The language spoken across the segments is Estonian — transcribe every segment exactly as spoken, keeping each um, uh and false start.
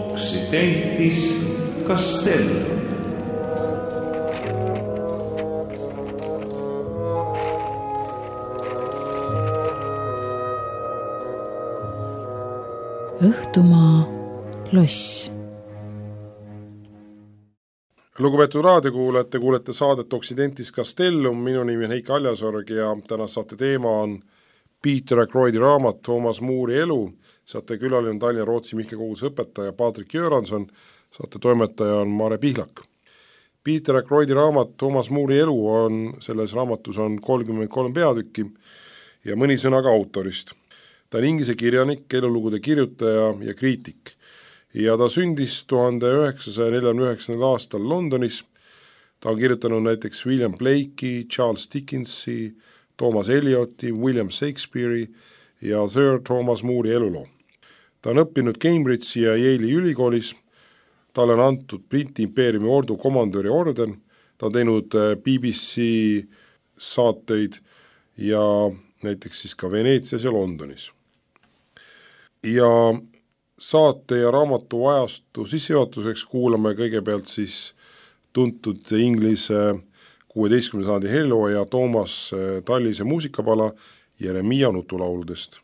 Occidentis Castellum. Õhtumaa loss. Lugupeetud raadiokuulajad, te kuulete saadet Occidentis Castellum, minu nimi on Heiki Aljasorg ja tänase saate teema on Peter Ackroydi raamat Toomas Moori elu. Saate külaline on Tallinna Rootsi Mihkli koguse õpetaja Patrik Göranson, saate toimetaja on Mare Pihlak. Peter Ackroydi raamat Toomas Moori elu on, selles raamatus on kolmkümmend kolm peatükki ja mõni sõna ka autorist. Ta on inglise kirjanik, elulugude kirjutaja ja kriitik ja ta sündis tuhande üheksasaja neljakümne üheksandal aastal Londonis. Ta on kirjutanud näiteks William Blakey, Charles Dickensi, Thomas Elioti, William Shakespeare'i ja Sir Thomas Moori eluloo. Ta on õppinud Cambridge'i ja Yale'i ülikoolis. Talle on antud Briti impeeriumi ordu komandöri orden. Ta on teinud B B C saateid ja näiteks siis ka Veneetsias ja Londonis. Ja saate ja raamatu ajastu sissejuhatuseks kuulame kõigepealt siis tuntud inglise kuueteistkümnenda sajandi helilooja Toomas Tallise muusikapala Jeremiia nutulauludest.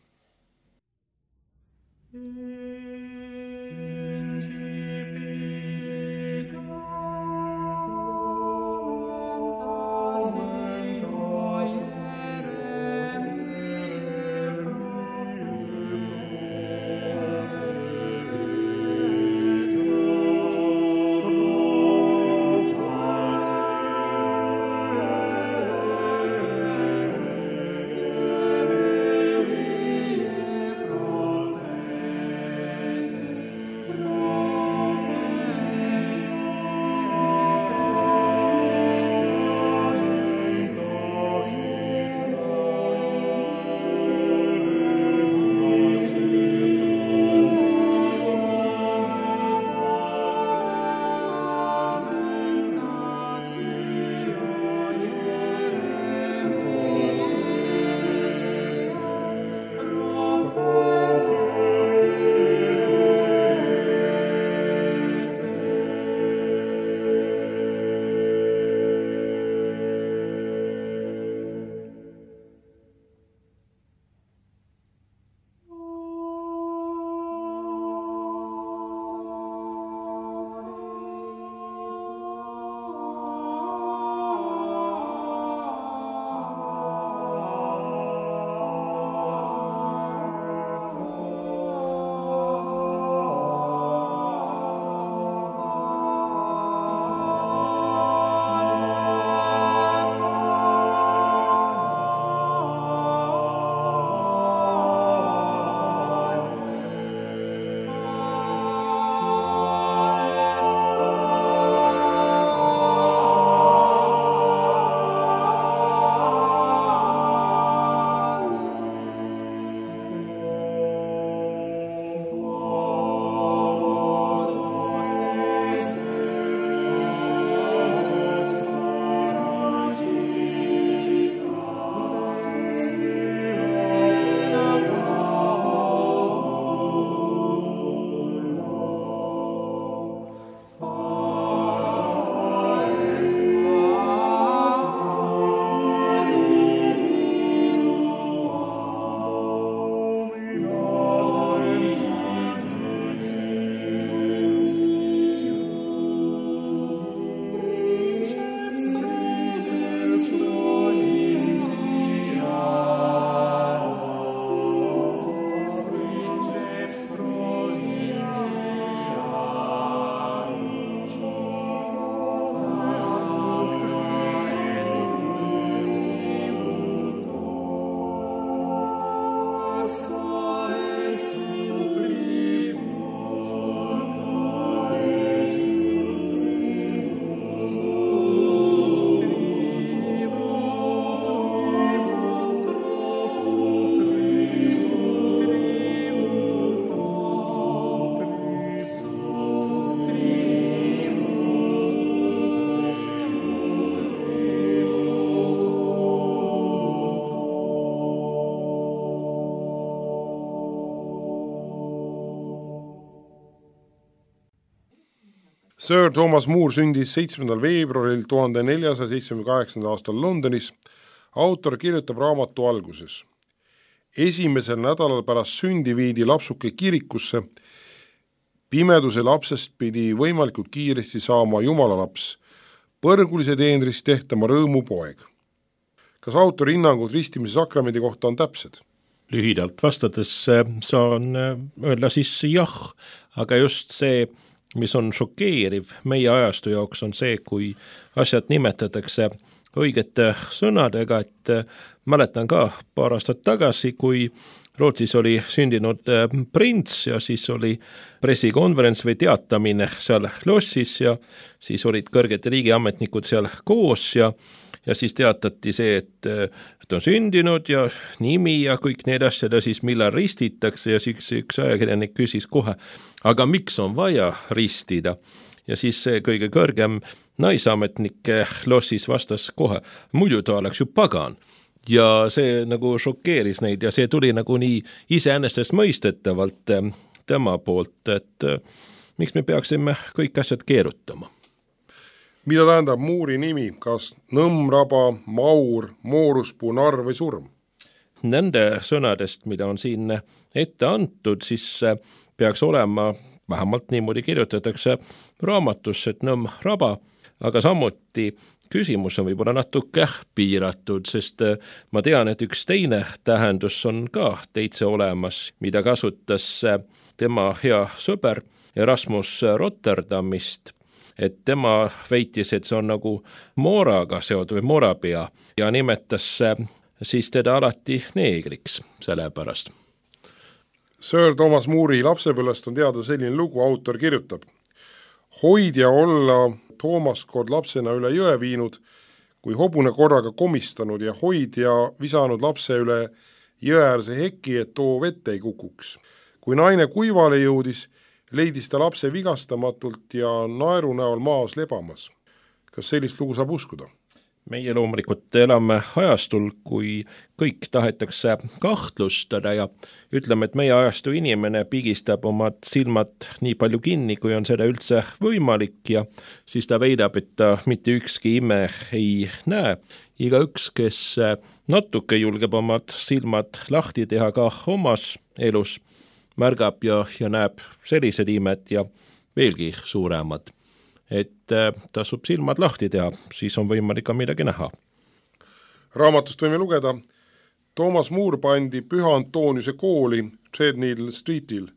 Sir Thomas More sündis seitsmendal veebruaril tuhande neljasaja seitsmekümne kaheksandal aastal Londonis. Autor kirjutab raamatu alguses. Esimesel nädalal pärast sündi viidi lapsuke kirikusse. Pimeduse lapsest pidi võimalikult kiiresti saama jumala laps, põrgulise teenrist tehtama rõõmu poeg. Kas autori hinnangud ristimise sakramendi kohta on täpsed? Lühidalt vastades saan öelda siis jah, aga just see, mis on šokeeriv meie ajastu jaoks, on see, kui asjad nimetatakse õigete sõnadega, et mäletan ka paar aastat tagasi, kui Rootsis oli sündinud prints ja siis oli pressikonverents või teatamine seal lossis ja siis olid kõrged riigiametnikud seal koos ja, ja siis teatati see, et, et on sündinud ja nimi ja kõik need asjad ja siis millal ristitakse ja siis üks ajakirjanik küsis kohe, aga miks on vaja ristida? Ja siis see kõige kõrgem naisametnik lossis vastas kohe, muidu ta oleks ju pagan. Ja see nagu šokeeris neid ja see tuli nagu nii iseennestest mõistetavalt tema poolt, et miks me peaksime kõik asjad keerutama. Mida tähendab Moori nimi, kas nõmmraba, maur, mooruspuu, narr või surm? Nende sõnadest, mida on siin ette antud, siis peaks olema, vähemalt niimoodi kirjutatakse raamatusse, et nõmmraba, aga samuti küsimus on võib-olla natuke piiratud, sest ma tean, et üks teine tähendus on ka teitse olemas, mida kasutas tema hea sõber Erasmus Rotterdamist, et tema väitis, et see on nagu mooraga seotud või moorapea ja nimetas siis teda alati neegriks selle pärast. Sir Thomas More'i lapsepõlvest on teada selline lugu, autor kirjutab. Hoidja olla Toomas kord lapsena üle jõe viinud, kui hobune korraga komistanud ja hoidja visanud lapse üle jõeäärse heki, et too vette ei kukuks. Kui naine kuivale jõudis, leidis ta lapse vigastamatult ja naeru näol maas lebamas. Kas sellist lugu saab uskuda? Meie loomulikult elame ajastul, kui kõik tahetakse kahtlustada ja ütleme, et meie ajastu inimene pigistab omad silmad nii palju kinni, kui on seda üldse võimalik ja siis ta väidab, et ta mitte ükski ime ei näe. Iga üks, kes natuke julgeb omad silmad lahti teha ka omas elus, märgab ja, ja näeb sellised imed ja veelgi suuremad. Et tasub silmad lahti teha, siis on võimalik ka midagi näha. Raamatust võime lugeda, Thomas More pandi Püha Antoniuse kooli Threadneedle Streetil.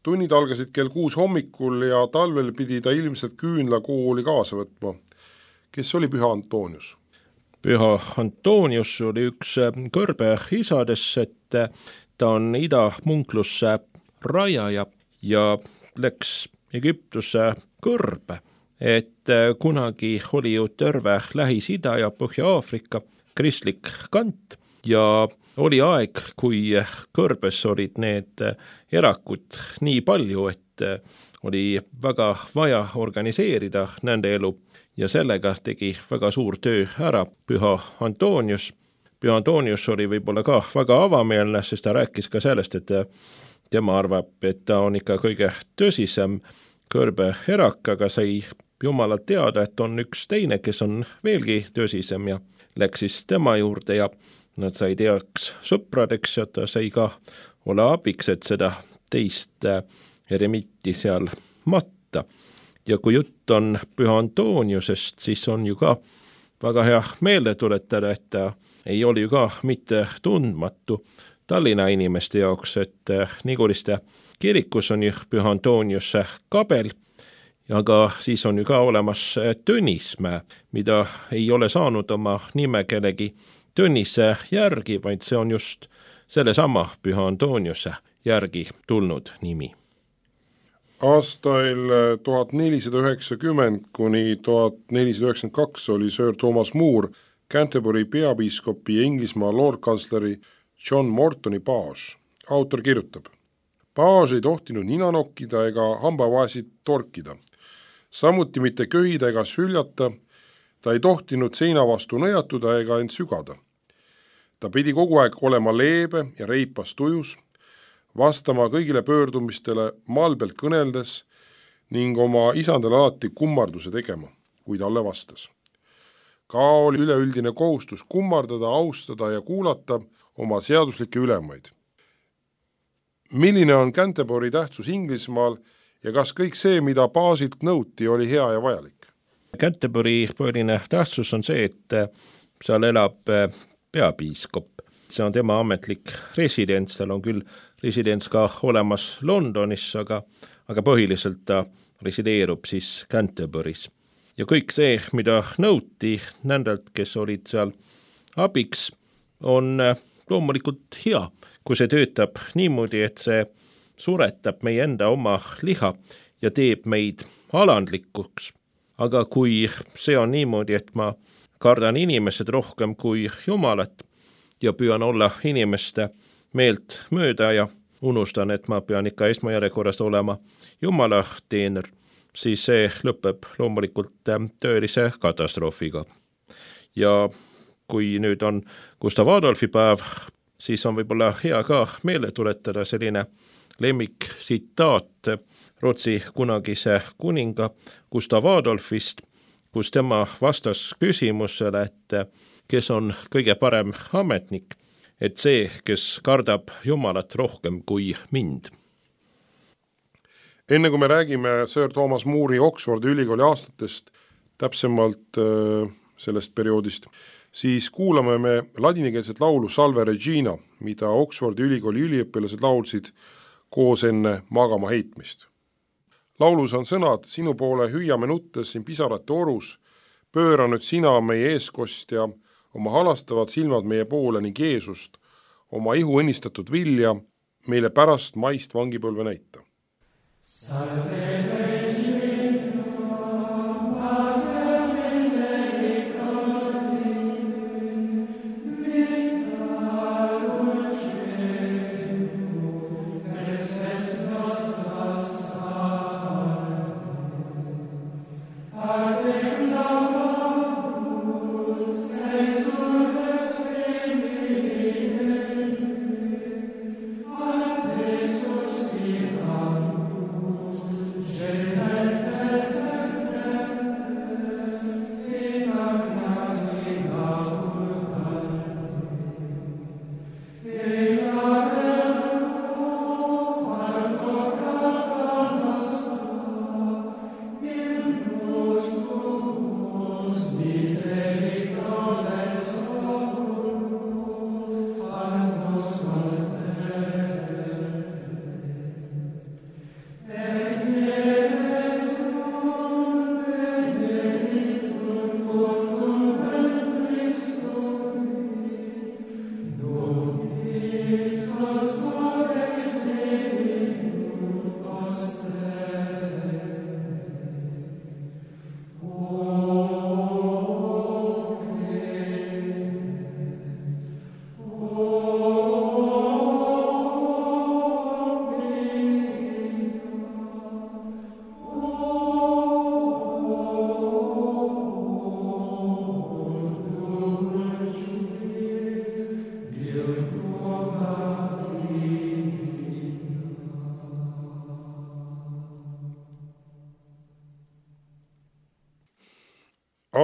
Tunnid algasid kell kuus hommikul ja talvel pidi ta ilmselt küünla kooli kaasa võtma. Kes oli Püha Antonius? Püha Antonius oli üks kõrbe isadest, et ta on idamunklusse rajaja ja läks Egiptusse kõrbe. Et kunagi oli ju terve Lähis-Ida ja Põhja-Aafrika kristlik kant ja oli aeg, kui kõrbes olid need erakud nii palju, et oli väga vaja organiseerida nende elu ja sellega tegi väga suur töö ära Püha Antonius. Püha Antonius oli võib-olla ka väga avameelne, sest ta rääkis ka sellest, et tema arvab, et ta on ikka kõige tõsisem kõrbe erak, aga sai Jumalalt teada, et on üks teine, kes on veelgi tõsisem ja läks siis tema juurde ja nad sai teaks sõpradeks ja ta sai ka olla abiks, et seda teist eremitti seal matta. Ja kui jutt on Püha Antoniusest, siis on ju ka väga hea meelde tuletada, et ta ei oli ju ka mitte tundmatu Tallinna inimeste jaoks, et Niguliste kirikus on ju Püha Antoniuse kabel, aga siis on ju ka olemas Tõnismäe, mida ei ole saanud oma nime kellegi Tõnise järgi, vaid see on just sellesama Püha Antoniuse järgi tulnud nimi. Aastail tuhat nelisada üheksakümmend kuni tuhat nelisada üheksakümmend kaks oli Sir Thomas More Canterbury peapiiskopi ja Inglismaa lordkantsleri John Mortoni paas. Autor kirjutab, paas ei tohtinud nina nokkida ega hambavaesid torkida. Samuti mitte köhida ega süljata, ta ei tohtinud seina vastu nõjatuda ega end sügada. Ta pidi kogu aeg olema leebe ja reipas tujus, vastama kõigile pöördumistele malbelt kõneldes, ning oma isandale alati kummarduse tegema, kui talle vastas. Ka oli üleüldine kohustus kummardada, austada ja kuulata oma seaduslikke ülemaid. Milline on Canterbury tähtsus Inglismaal ja kas kõik see, mida baasilt nõuti, oli hea ja vajalik? Canterbury põhiline tähtsus on see, et seal elab peapiiskop. See on tema ametlik residents, tal on küll residents ka olemas Londonis, aga, aga põhiliselt ta resideerub siis Canterburys. Ja kõik see, mida nõuti nendelt, kes olid seal abiks, on loomulikult hea, kui see töötab niimoodi, et see suretab meie enda oma liha ja teeb meid alandlikuks. Aga kui see on niimoodi, et ma kardan inimesed rohkem kui Jumalat ja püüan olla inimeste meelt mööda ja unustan, et ma pean ikka esmajärjekorras olema Jumala teener, siis see lõpeb loomulikult töölise katastroofiga. Ja kui nüüd on Gustav Adolfi päev, siis on võib-olla hea ka meele tuletada selline lemmik tsitaat Rootsi kunagise kuninga Gustav Adolfist, kus tema vastas küsimusele, et kes on kõige parem ametnik, et see, kes kardab Jumalat rohkem kui mind. Enne kui me räägime Sir Thomas More'i Oxfordi ülikooli aastatest, täpsemalt äh, sellest perioodist, siis kuulame me ladinikeelset laulu Salve Regina, mida Oxfordi ülikooli üliõpilased laulsid koos enne magama heitmist. Laulus on sõnad: sinu poole hüüame nuttes siin pisarate orus, pööra nüüd sina meie eeskostja, oma halastavad silmad meie poole ning Jeesust, oma ihu õnnistatud vilja, meile pärast maist vangipõlve näita. Salve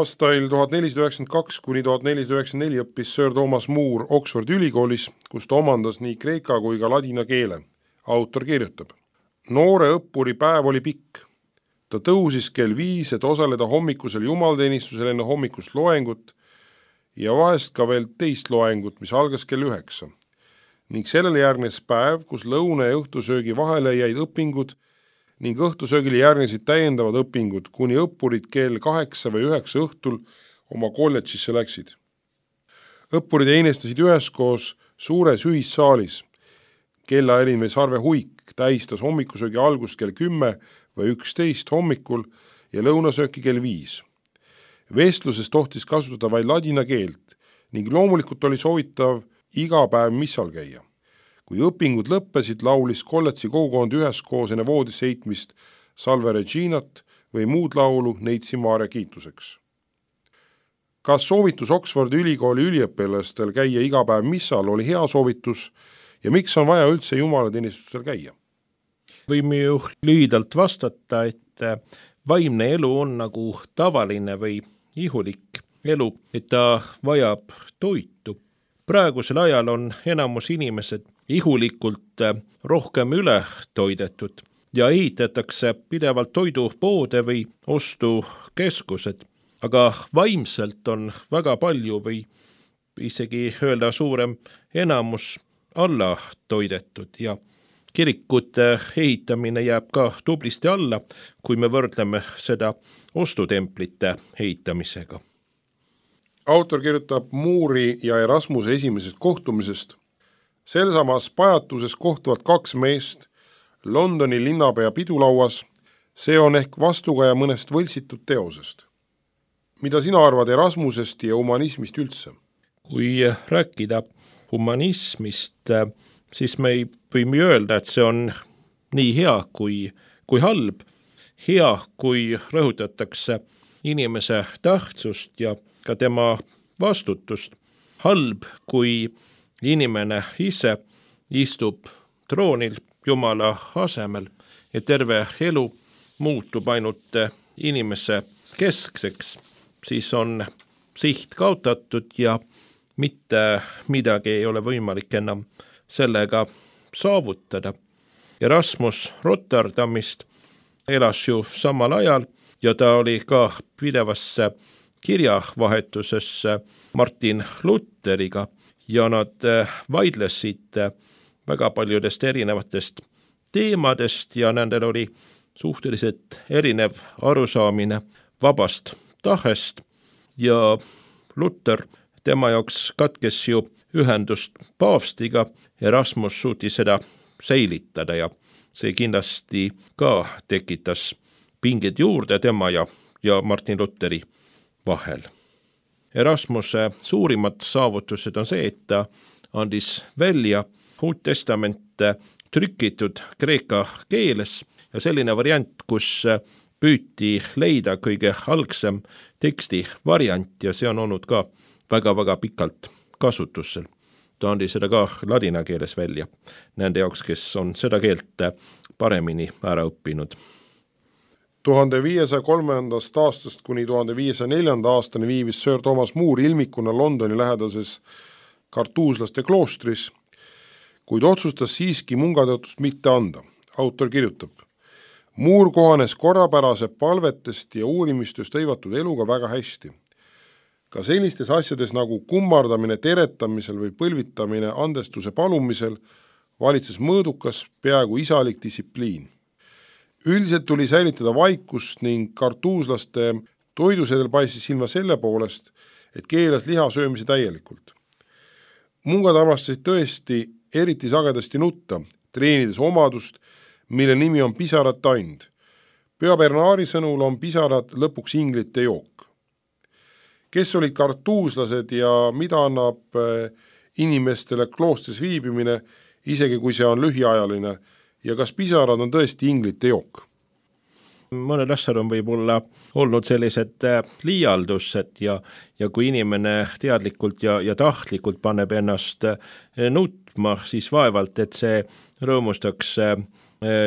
Aastail tuhat nelisada üheksakümmend kaks kuni tuhat nelisada üheksakümmend neli õppis Sir Thomas More Oxfordi ülikoolis, kus ta omandas nii kreeka kui ka ladina keele. Autor kirjutab: noore õppuri päev oli pikk. Ta tõusis kell viis, et osaleda hommikusel jumalteenistusel enne hommikust loengut ja vahest ka veel teist loengut, mis algas kell üheksa. Ning sellele järgnes päev, kus lõuna ja õhtusöögi vahele jäid õpingud ning õhtusöögile järgnesid täiendavad õpingud, kuni õppurid kell kaheksa või üheksa õhtul oma kolledžisse läksid. Õppurid einestasid üheskoos suures ühissaalis. Kellahelin või sarve huik tähistas hommikusöögi algust kell kümme või üksteist hommikul ja lõunasööki kell viis. Vestluses tohtis kasutada vaid ladina keelt ning loomulikult oli soovitav iga päev missal käia. Kui õpingud lõppesid, laulis kolledži kogukond üheskoos enne voodisse heitmist Salve Reginat või muud laulu Neitsi Maarja kiituseks. Kas soovitus Oxfordi ülikooli üliõpilastel käia iga päev missal oli hea soovitus ja miks on vaja üldse jumalateenistustel käia? võime ju lühidalt vastata, et vaimne elu on nagu tavaline või ihulik elu, et ta vajab toitu. Praegusel ajal on enamus inimesed ihulikult rohkem üle toidetud ja ehitatakse pidevalt toidupoode või ostukeskused, aga vaimselt on väga palju või isegi öelda suurem enamus alla toidetud ja kirikute ehitamine jääb ka tublisti alla, kui me võrdleme seda ostutemplite ehitamisega. Autor kirjutab Moori ja Erasmuse esimesest kohtumisest. Selsamas pajatuses kohtuvad kaks meest Londoni linnapea pidulauas. See on ehk vastukaja mõnest võltsitud teosest. Mida sina arvad Erasmusest ja humanismist üldse? Kui rääkida humanismist, siis me ei võime öelda, et see on nii hea kui, kui halb. Hea, kui rõhutatakse inimese tähtsust ja ka tema vastutust. Halb, kui inimene ise istub troonil Jumala asemel ja terve elu muutub ainult inimese keskseks, siis on siht kaotatud ja mitte midagi ei ole võimalik enam sellega saavutada. Erasmus Rotterdamist elas ju samal ajal ja ta oli ka pidevasse kirjavahetusesse Martin Lutheriga ja nad vaidlesid väga paljudest erinevatest teemadest ja nendel oli suhteliselt erinev arusaamine vabast tahest ja Luther, tema jaoks katkes ju ühendust paavstiga, Erasmus suutis seda säilitada ja see kindlasti ka tekitas pinged juurde tema ja, ja Martin Lutheri vahel. Erasmuse suurimad saavutused on see, et ta andis välja Uut Testament trükitud kreeka keeles ja selline variant, kus püüti leida kõige algsem teksti variant ja see on olnud ka väga-väga pikalt kasutusel. Ta andis seda ka ladina keeles välja nende jaoks, kes on seda keelt paremini ära õppinud. tuhande viiesaja kolmandast aastast kuni tuhande viiesaja neljanda aastani viibis Sir Thomas More ilmikuna Londoni lähedases kartuuslaste kloostris, kuid otsustas siiski mungatatust mitte anda. Autor kirjutab, Moore kohanes korrapärase palvetest ja uurimistööst hõivatud eluga väga hästi. Ka sellistes asjades nagu kummardamine teretamisel või põlvitamine andestuse palumisel valitses mõõdukas, peaaegu isalik distsipliin. Üldiselt tuli säilitada vaikust ning kartuuslaste toidusedel paistis silma selle poolest, et keelas liha söömise täielikult. Mungad armastasid tõesti eriti sagedasti nutta, treenides omadust, mille nimi on pisarate and. Püha Bernari sõnul on pisarad lõpuks inglite jook. Kes olid kartuuslased ja mida annab inimestele kloostris viibimine, isegi kui see on lühiajaline, ja kas pisarad on tõesti inglite jook? Mõned asjad on võib-olla olnud sellised liialdused ja, ja kui inimene teadlikult ja, ja tahtlikult paneb ennast nutma, siis vaevalt, et see rõõmustaks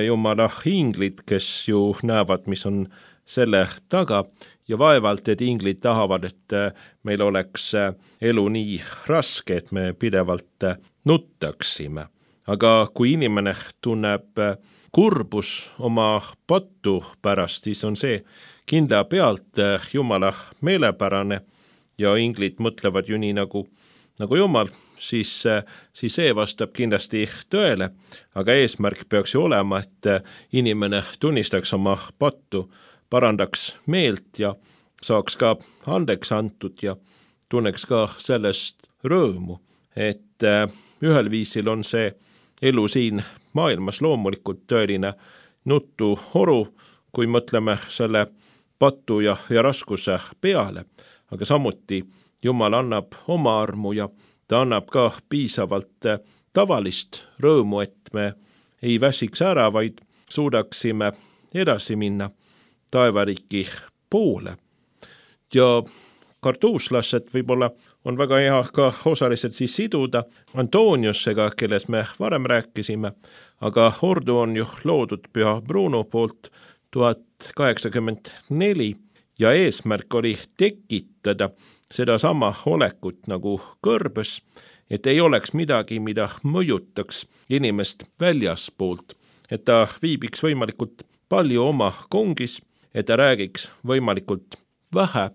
Jumala inglid, kes ju näevad, mis on selle taga ja vaevalt, et inglid tahavad, et meil oleks elu nii raske, et me pidevalt nuttaksime. Aga kui inimene tunneb kurbus oma pattu pärast, siis on see kindla pealt Jumala meelepärane ja inglid mõtlevad ju nii nagu, nagu Jumal, siis, siis see vastab kindlasti tõele, aga eesmärk peaks ju olema, et inimene tunnistaks oma pattu, parandaks meelt ja saaks ka andeks antud ja tunneks ka sellest rõõmu, et ühel viisil on see elu siin maailmas loomulikult tõeline nutu horu, kui mõtleme selle pattu ja, ja raskuse peale, aga samuti Jumal annab oma armu ja ta annab ka piisavalt tavalist rõõmu, et me ei väsiks ära, vaid suudaksime edasi minna taevariiki poole. Ja kartuuslasset võib-olla on väga hea ka osaliselt siis siduda Antoniusega, kelles me varem rääkisime, aga ordu on ju loodud Püha Bruno poolt tuhat kaheksakümmend neli ja eesmärk oli tekitada sedasama olekut nagu kõrbes, et ei oleks midagi, mida mõjutaks inimest väljaspoolt, et ta viibiks võimalikult palju oma kongis, et ta räägiks võimalikult vähe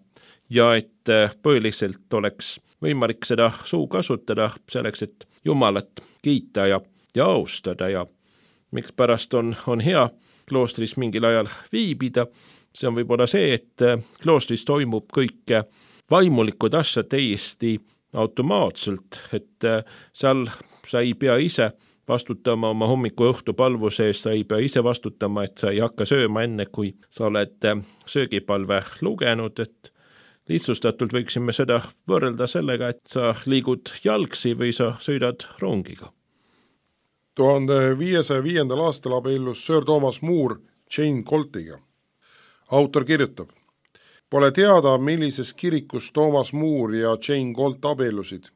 ja et põhiliselt oleks võimalik seda suu kasutada selleks, et Jumalat kiita ja, ja austada ja miks pärast on, on hea kloostris mingil ajal viibida, see on võib-olla see, et kloostris toimub kõik vaimulikud asjad täiesti automaatselt, et seal sa ei pea ise vastutama oma hommiku õhtu palvuse eest, sa ei pea ise vastutama, et sa ei hakka sööma enne, kui sa oled söögipalve lugenud, et lihtsustatult võiksime seda võrrelda sellega, et sa liigud jalgsi või sa sõidad rongiga. tuhande viiesaja viiendal aastal abiellus Sir Thomas More Jane Coltiga. Autor kirjutab: pole teada, millises kirikus Thomas More ja Jane Colt abiellusid,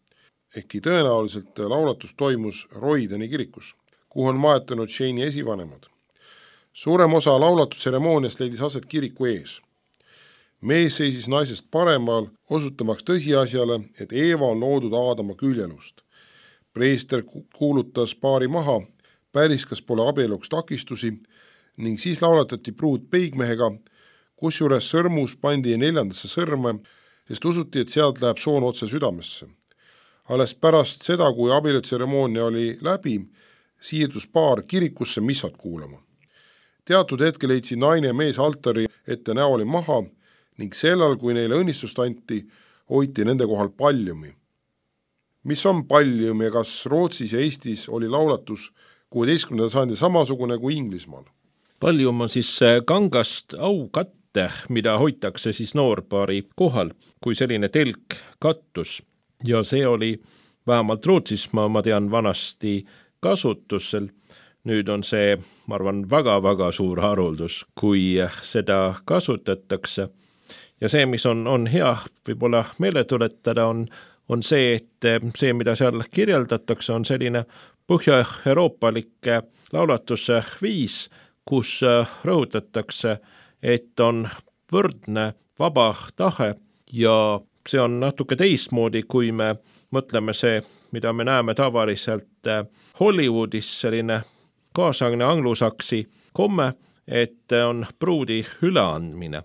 ehkki tõenäoliselt laulatus toimus Roydeni kirikus, kuhu on maetunud Jane'i esivanemad. Suurem osa laulatuseremooniast leidis aset kiriku ees. Mees seisis naisest paremal, osutamaks tõsiasjale, et Eeva on loodud Aadama küljelust. Preester kuulutas paari maha, päriskas pole abieluks takistusi ning siis laulatati pruut peigmehega, kusjuures sõrmus pandi neljandasse sõrme, sest usuti, et sealt läheb soon otse südamesse. Alles pärast seda, kui abielutseremoonia oli läbi, siirdus paar kirikusse missat kuulama. Teatud hetkel leidsid naine ja mees altari ette näoli maha ning sellal, kui neile õnnistust anti, hoiti nende kohal paljumi. Mis on paljum ja kas Rootsis ja Eestis oli laulatus kuueteistkümnenda sajandi samasugune kui Inglismaal? Paljum on siis kangast aukatte, mida hoitakse siis noorpaari kohal, kui selline telk kattus. Ja see oli vähemalt Rootsis, ma, ma tean, vanasti kasutusel. Nüüd on see, ma arvan, väga-väga suur haruldus, kui seda kasutatakse. Ja see, mis on, on hea võib-olla meele tuletada, on, on see, et see, mida seal kirjeldatakse, on selline põhja-euroopalik laulatuse viis, kus rõhutatakse, et on võrdne vaba tahe ja see on natuke teistmoodi, kui me mõtleme see, mida me näeme tavaliselt Hollywoodis, selline kaasaegne anglusaksi komme, et on pruudi üleandmine.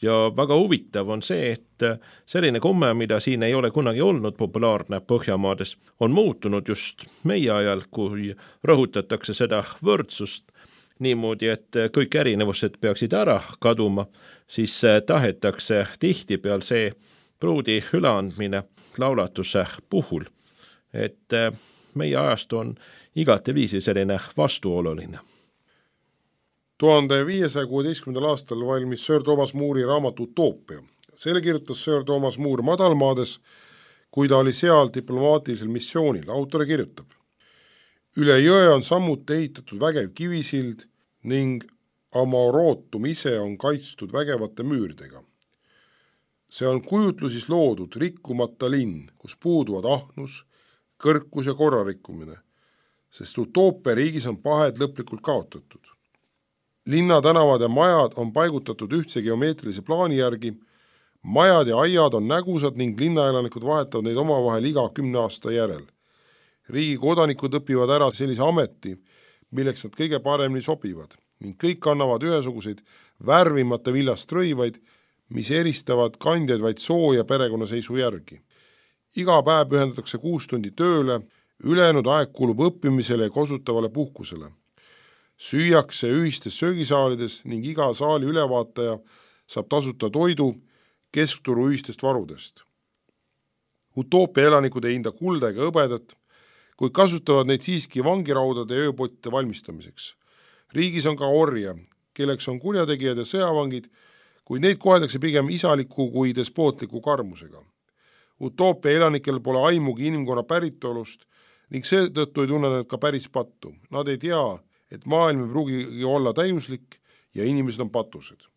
Ja väga huvitav on see, et selline komme, mida siin ei ole kunagi olnud populaarne Põhjamaades, on muutunud just meie ajal, kui rõhutatakse seda võrdsust niimoodi, et kõik erinevused peaksid ära kaduma, siis tahetakse tihti peal see pruudi üleandmine laulatuse puhul. Et meie ajastu on igate viisi selline vastuoluline. tuhande viiesaja kuueteistkümnendal aastal valmis Sir Thomas More'i raamat Utoopia. Selle kirjutas Sir Thomas More madalmaades, kui ta oli seal diplomaatilisel missioonil. Autor kirjutab: üle jõe on samuti ehitatud vägev kivisild ning Amorootum ise on kaitstud vägevate müüridega. See on kujutlusis loodud rikkumata linn, kus puuduvad ahnus, kõrkus ja korrarikkumine, sest utoopia riigis on pahed lõplikult kaotatud. Linna tänavad ja majad on paigutatud ühtse geomeetrilise plaani järgi, majad ja aiad on nägusad ning linnaelanikud vahetavad neid omavahel iga kümne aasta järel. Riigi kodanikud õpivad ära sellise ameti, milleks nad kõige paremini sobivad ning kõik annavad ühesuguseid värvimata villast rõivaid, mis eristavad kandjaid vaid soo ja perekonnaseisu järgi. Iga päev pühendatakse kuus tundi tööle, ülejäänud aeg kulub õppimisele ja kosutavale puhkusele. Süüakse ühistes söögisaalides ning iga saali ülevaataja saab tasuta toidu keskturu ühistest varudest. Utoopia elanikud ei hinda kulda ega hõbedat, kuid kasutavad neid siiski vangiraudade ja ööpotte valmistamiseks. Riigis on ka orja, kelleks on kurjategijad ja sõjavangid, kuid neid koheldakse pigem isaliku kui despootliku karmusega. Utoopia elanikel pole aimugi inimkonna päritolust ning seetõttu ei tunne nad ka päris pattu. Nad ei tea, et maailm ei pruugi olla täiuslik ja inimesed on patused.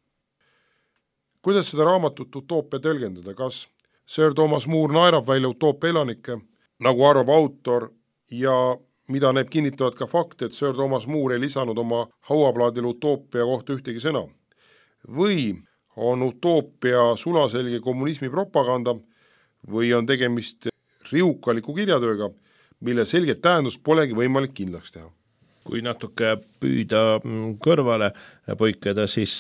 Kuidas seda raamatut Utoopia tõlgendada? Kas Sir Thomas More naerab välja utoopia elanikke, nagu arvab autor, ja mida need kinnitavad ka fakt, et Sir Thomas More ei lisanud oma hauaplaadil utoopia kohta ühtegi sõna. Või on utoopia sulaselge kommunismi propaganda või on tegemist riukaliku kirjatööga, mille selget tähendust polegi võimalik kindlaks teha. Kui natuke püüda kõrvale põikeda, siis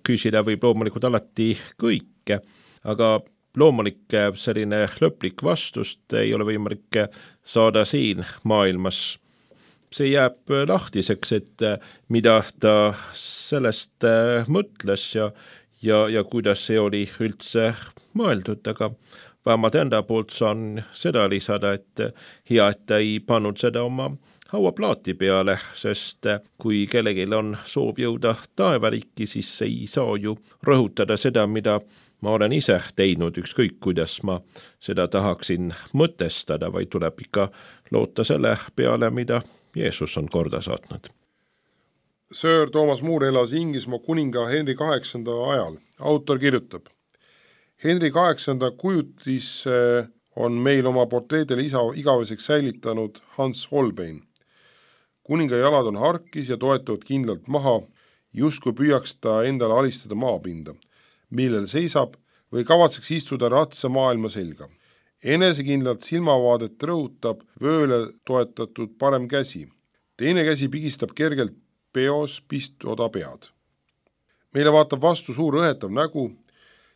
küsida võib loomulikult alati kõike, aga loomulik selline lõplik vastust ei ole võimalik saada siin maailmas. See jääb lahtiseks, et mida ta sellest mõtles ja, ja, ja kuidas see oli üldse mõeldud, aga vähemalt enda poolt saan seda lisada, et hea, et ta ei pannud seda oma hauaplaati peale, sest kui kellelgi on soov jõuda taevariiki, siis ei saa ju rõhutada seda, mida ma olen ise teinud, ükskõik kuidas ma seda tahaksin mõtestada, vaid tuleb ikka loota selle peale, mida Jeesus on korda saatnud. Sir Thomas More elas Inglismaa kuninga Henry kaheksanda ajal. Autor kirjutab: Henry kaheksanda kujutis on meil oma portreedele isa igaveseks säilitanud Hans Holbein. Kuninga jalad on harkis ja toetavad kindlalt maha, justkui püüaks ta endale alistada maapinda, millel seisab või kavatseks istuda ratsa maailma selga. Enesekindlalt silmavaadet rõhutab vööle toetatud parem käsi. Teine käsi pigistab kergelt peos pistoda pead. Meile vaatab vastu suur õhetav nägu,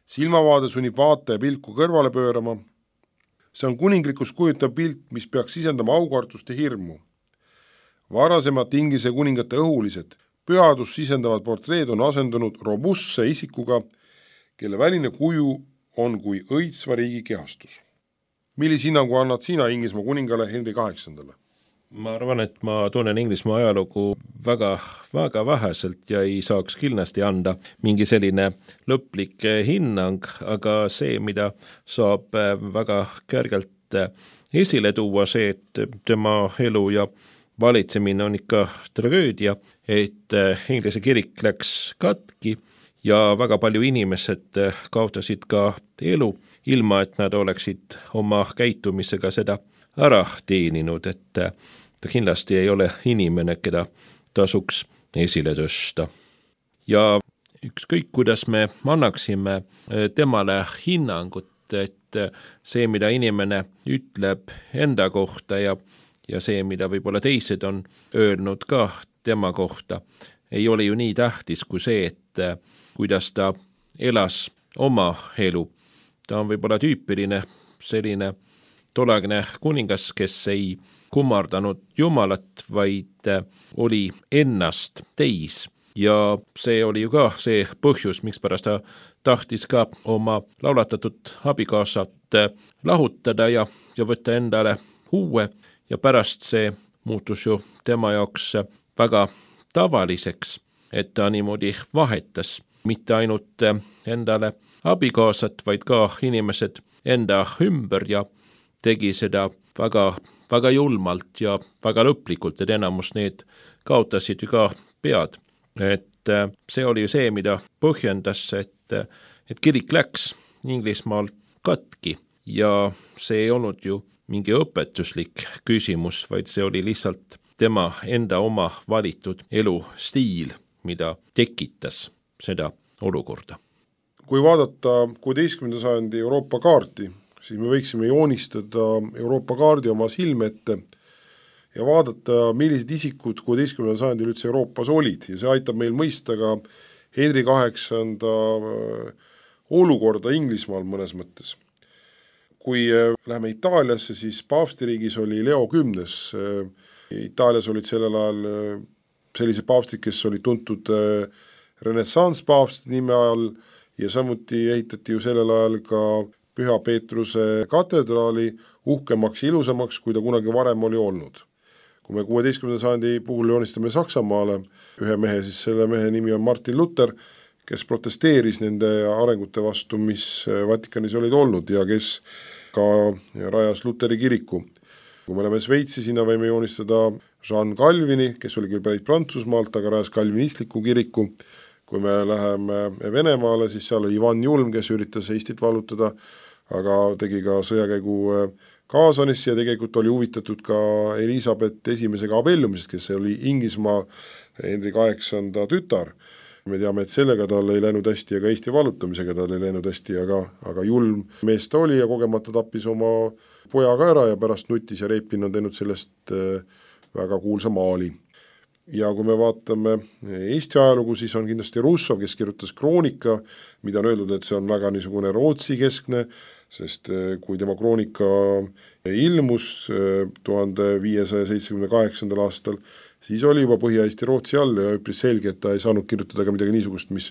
silmavaade sunnib vaataja pilku kõrvale pöörama. See on kuninglikus kujutav pilt, mis peaks sisendama aukartust ja hirmu. Varasemad Inglise kuningate õhulised, pühadus sisendavad portreed on asendunud robustse isikuga, kelle väline kuju on kui õitsva riigi kehastus. Millise hinnangu annad sina Inglismaa kuningale Henry kaheksandale? Ma arvan, et ma tunnen Inglismaa ajalugu väga, väga väheselt ja ei saaks kindlasti anda mingi selline lõplik hinnang, aga see, mida saab väga kergelt esile tuua, see, et tema elu ja valitsemine on ikka tragöödia, et Inglise kirik läks katki ja väga palju inimesed kaotasid ka elu, ilma et nad oleksid oma käitumisega seda ära teeninud, et ta kindlasti ei ole inimene, keda tasuks esile tõsta. Ja ükskõik, kuidas me annaksime temale hinnangut, et see, mida inimene ütleb enda kohta ja, ja see, mida võib-olla teised on öelnud ka tema kohta, ei ole ju nii tähtis kui see, et kuidas ta elas oma elu. Ta on võib-olla tüüpiline selline tolleaegne kuningas, kes ei kummardanud Jumalat, vaid oli ennast täis. Ja see oli ju ka see põhjus, miks pärast ta tahtis ka oma laulatatud abikaasat lahutada ja, ja võtta endale uue. Ja pärast see muutus ju tema jaoks väga tavaliseks, et ta niimoodi vahetas mitte ainult endale abikaasat, vaid ka inimesed enda ümber ja tegi seda väga, väga julmalt ja väga lõplikult, et enamus need kaotasid ju ka pead. Et see oli ju see, mida põhjendas, et, et kirik läks Inglismaal katki ja see ei olnud ju mingi õpetuslik küsimus, vaid see oli lihtsalt tema enda oma valitud elustiil, mida tekitas seda olukorda. Kui vaadata kuueteistkümnenda sajandi Euroopa kaarti, siis me võiksime joonistada Euroopa kaardi oma silme ette ja vaadata, millised isikud kuueteistkümnendal sajandil üldse Euroopas olid. Ja see aitab meil mõista ka Henry kaheksanda olukorda Inglismaal mõnes mõttes. Kui läheme Itaaliasse, siis paavstiriigis oli Leo kümnes. Itaalias olid sellel ajal sellised paavstid, kes olid tuntud renessansspaavstid nime all ja samuti ehitati ju sellel ajal ka Püha Peetruse katedraali uhkemaks ja ilusamaks, kui ta kunagi varem oli olnud. Kui me kuueteistkümnenda sajandi puhul joonistame Saksamaale ühe mehe, siis selle mehe nimi on Martin Luther, kes protesteeris nende arengute vastu, mis Vatikanis olid olnud ja kes ka rajas Luteri kiriku. Kui me oleme Sveitsi, sinna võime joonistada Jean Calvini, kes oli küll pärit Prantsusmaalt, aga rajas kalvinistliku kiriku. Kui me läheme Venemaale, siis seal oli Ivan Julm, kes üritas Eestit vallutada. aga tegi ka sõjakäigu Kaasanisse ja tegelikult oli huvitatud ka Elisabeth esimesega abiellumisest, kes oli Inglismaa Henri kaheksanda tütar. Me teame, et sellega tal ei läinud hästi ja ka Eesti vallutamisega tal ei läinud hästi, aga, aga julm mees ta oli ja kogemata tappis oma pojaga ära ja pärast nutis ja Repin on teinud sellest väga kuulsa maali. Ja kui me vaatame Eesti ajalugu, siis on kindlasti Russov, kes kirjutas kroonika, mida on öeldud, et see on väga niisugune Rootsi keskne, sest kui tema kroonika ilmus tuhande viiesaja seitsmekümne kaheksandal aastal, siis oli juba Põhja-Eesti Rootsi all ja üpris selge, et ta ei saanud kirjutada ka midagi niisugust, mis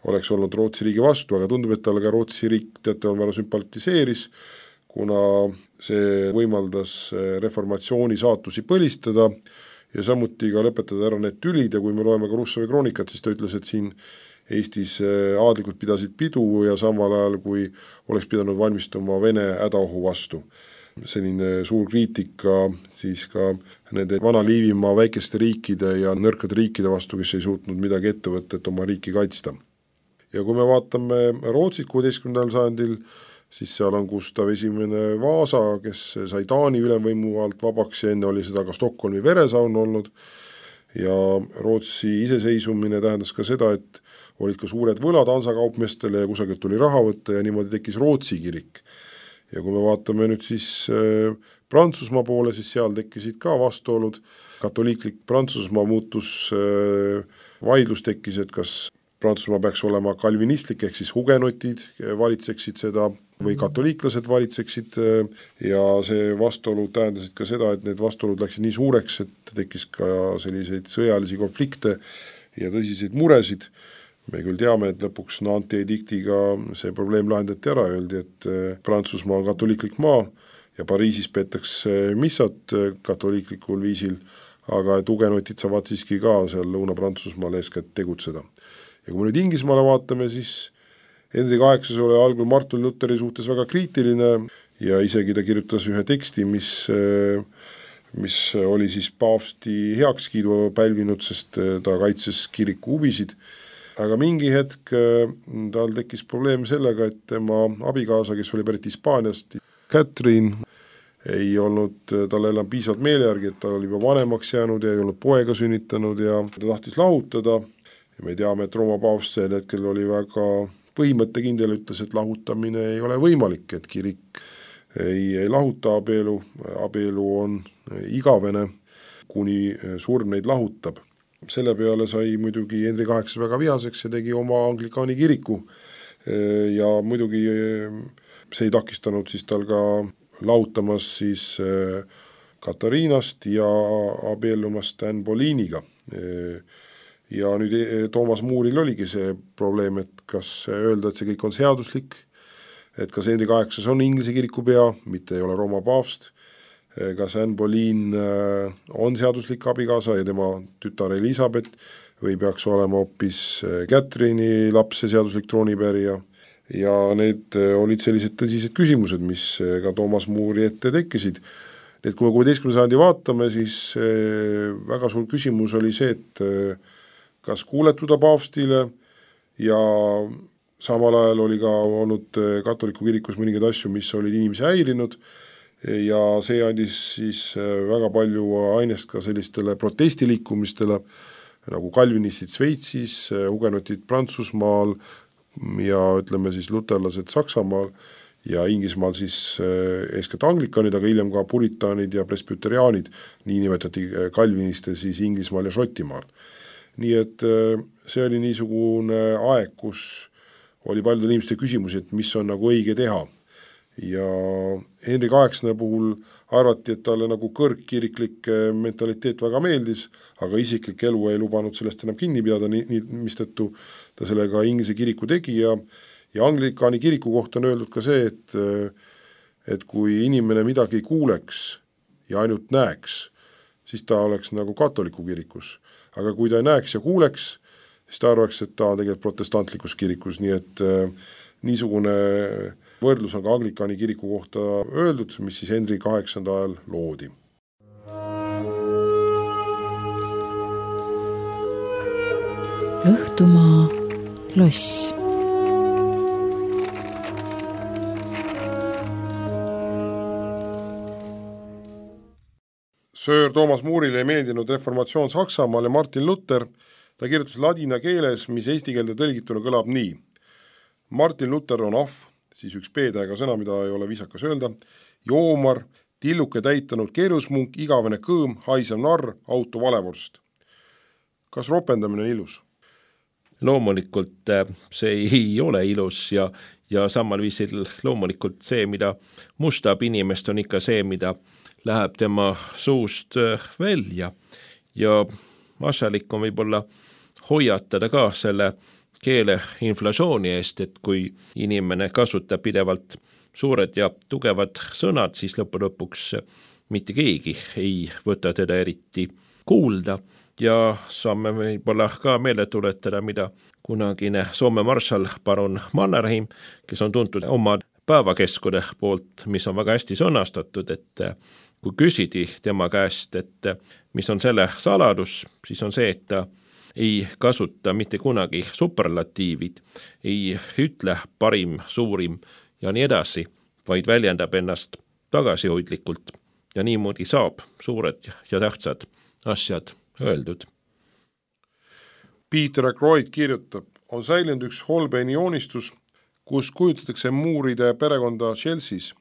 oleks olnud Rootsi riigi vastu, aga tundub, et talle ka Rootsi riik teate on väga sümpatiseeris, kuna see võimaldas reformatsiooni saatusi põlistada ja samuti ka lõpetada ära need tülid ja kui me loeme ka Russovi kroonikat, siis ta ütles, et siin Eestis aadlikud pidasid pidu ja samal ajal, kui oleks pidanud valmistuma Vene hädaohu vastu. Selline suur kriitika siis ka nende vana Liivimaa väikeste riikide ja nõrkade riikide vastu, kes ei suutnud midagi ette võtta, et oma riiki kaitsta. Ja kui me vaatame Rootsit kuueteistkümnendal sajandil, siis seal on Gustav esimene Vaasa, kes sai Taani ülemvõimu alt vabaks ja enne oli seda ka Stockholmi veresaun olnud ja Rootsi iseseisumine tähendas ka seda, et olid ka suured võlad ansakaupmeestele ja kusagilt tuli raha võtta ja niimoodi tekkis Rootsi kirik. Ja kui me vaatame nüüd siis äh, Prantsusmaa poole, siis seal tekkisid ka vastuolud. Katoliiklik Prantsusmaa muutus äh, vaidlus tekkis, et kas Prantsusmaa peaks olema kalvinistlik, ehk siis hugenotid valitseksid seda või katoliiklased valitseksid ja see vastuolu tähendasid ka seda, et need vastuolud läksid nii suureks, et tekkis ka selliseid sõjalisi konflikte ja tõsiseid muresid. Me küll teame, et lõpuks Nanti ediktiga see probleem lahendati ära, öeldi, et Prantsusmaa on katoliiklik maa ja Pariisis peetakse missat katoliiklikul viisil, aga et hugenotid saavad siiski ka seal Lõuna-Prantsusmaal eeskätt tegutseda. Ja kui me nüüd Inglismaale vaatame, siis Henri kaheksas oli algul Martin Lutheri suhtes väga kriitiline ja isegi ta kirjutas ühe teksti, mis, mis oli siis paavsti heakskiidu pälvinud, sest ta kaitses kiriku huvisid. Aga mingi hetk tal tekkis probleem sellega, et tema abikaasa, kes oli pärit Hispaaniast, Catherine, ei olnud tal enam piisavalt meele järgi, et ta oli juba vanemaks jäänud ja ei olnud poega sünnitanud ja ta tahtis lahutada. Ja me teame, et Rooma paavst sel hetkel oli väga põhimõttekindel, ütles, et lahutamine ei ole võimalik, et kirik ei, ei lahuta abielu, abielu on igavene, kuni surm neid lahutab. Selle peale sai muidugi Henri kaheksas väga vihaseks ja tegi oma anglikaani kiriku ja muidugi see ei takistanud siis tal ka lahutamas siis Katariinast ja abiellumast Anne Boleyniga. Ja nüüd Toomas Mooril oligi see probleem, et kas öelda, et see kõik on seaduslik, et kas Henri kaheksas on Inglise kiriku pea, mitte ei ole Rooma paavst, kas Anne Boleyn on seaduslik abikaasa ja tema tütar Elisabeth või peaks olema hoopis Catherine'i laps ja seaduslik troonipärija. Ja need olid sellised tõsised küsimused, mis ka Toomas Moori ette tekkisid. Need, kui me kuueteistkümnenda sajandi vaatame, siis väga suur küsimus oli see, et kas kuuletuda paavstile ja samal ajal oli ka olnud katoliku kirikus mõningaid asju, mis olid inimesi häirinud ja see andis siis väga palju ainest ka sellistele protestiliikumistele nagu kalvinistid Sveitsis, hugenotid Prantsusmaal ja ütleme siis luterlased Saksamaal ja Inglismaal siis eeskätt anglikanid, aga hiljem ka puritaanid ja presbyteriaanid, nii nimetati kalviniste siis Inglismaal ja Šotimaal. Nii et see oli niisugune aeg, kus oli paljudel inimeste küsimusi, et mis on nagu õige teha. Ja Henri kaheksanda puhul arvati, et talle nagu kõrgkiriklik mentaliteet väga meeldis, aga isiklik elu ei lubanud sellest enam kinni pidada, nii, nii, mistõttu ta sellega Inglise kiriku tegi ja, ja anglikaani kiriku kohta on öeldud ka see, et, et kui inimene midagi ei kuuleks ja ainult näeks, siis ta oleks nagu katoliku kirikus. Aga kui ta ei näeks ja kuuleks, siis ta arvaks, et ta on tegelikult protestantlikus kirikus, nii et äh, niisugune võrdlus on ka anglikaani kiriku kohta öeldud, mis siis Henri kaheksanda ajal loodi. Õhtumaa loss. Sir Thomas Moore'ile ei meeldinud reformatsioon Saksamaal ja Martin Luther. Ta kirjutas ladina keeles, mis eesti keelde tõlgituna kõlab nii. Martin Luther on ahv, siis üks B-tähega sõna, mida ei ole viisakas öelda, joomar, tilluke täitanud keerusmunk, igavene kõõm, haisev narr, auto valevorst. Kas ropendamine on ilus? Loomulikult see ei ole ilus ja, ja samal viisil loomulikult see, mida mustab inimest, on ikka see, mida läheb tema suust välja ja asjalik on võib-olla hoiatada ka selle keele inflatsiooni eest, et kui inimene kasutab pidevalt suured ja tugevad sõnad, siis lõppu lõpuks mitte keegi ei võta teda eriti kuulda ja saame võib-olla ka meelde tuletada, mida kunagine Soome marshal baron Mannerheim, kes on tuntud oma päevakeskude poolt, mis on väga hästi sõnastatud, et kui küsidi tema käest, et mis on selle saladus, siis on see, et ta ei kasuta mitte kunagi superlatiivid, ei ütle parim, suurim ja nii edasi, vaid väljendab ennast tagasihoidlikult ja niimoodi saab suured ja tähtsad asjad öeldud. Peter Ackroyd kirjutab, on säilinud üks Holbeini joonistus, kus kujutatakse Mooride perekonda Chelsea's.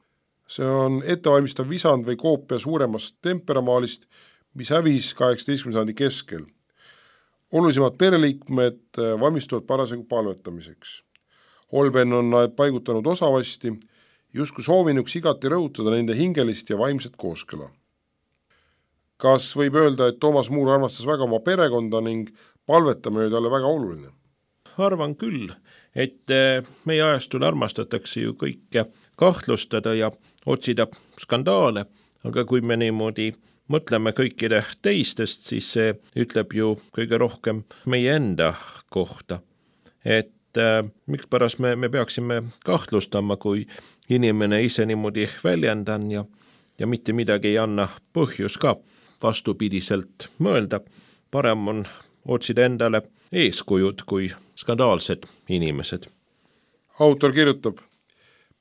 See on ettevalmistav visand või koopia suuremast temperamaalist, mis hävis kaheksateistkümnenda sajandi keskel. Olulisemad pereliikmed valmistuvad parasjagu palvetamiseks. Holbein on paigutanud osavasti, justkui soovinuks igati rõhutada nende hingelist ja vaimset kooskõla. Kas võib öelda, et Thomas Moore armastas väga oma perekonda ning palvetamine oli talle väga oluline? Arvan küll, et meie ajastul armastatakse ju kõike kahtlustada ja otsida skandaale, aga kui me niimoodi mõtleme kõikide teistest, siis see ütleb ju kõige rohkem meie enda kohta. Et äh, mikspärast me, me peaksime kahtlustama, kui inimene ise niimoodi väljendan ja, ja mitte midagi ei anna põhjus ka vastupidiselt mõelda. Parem on otsida endale eeskujud kui skandaalsed inimesed. Autor kirjutab,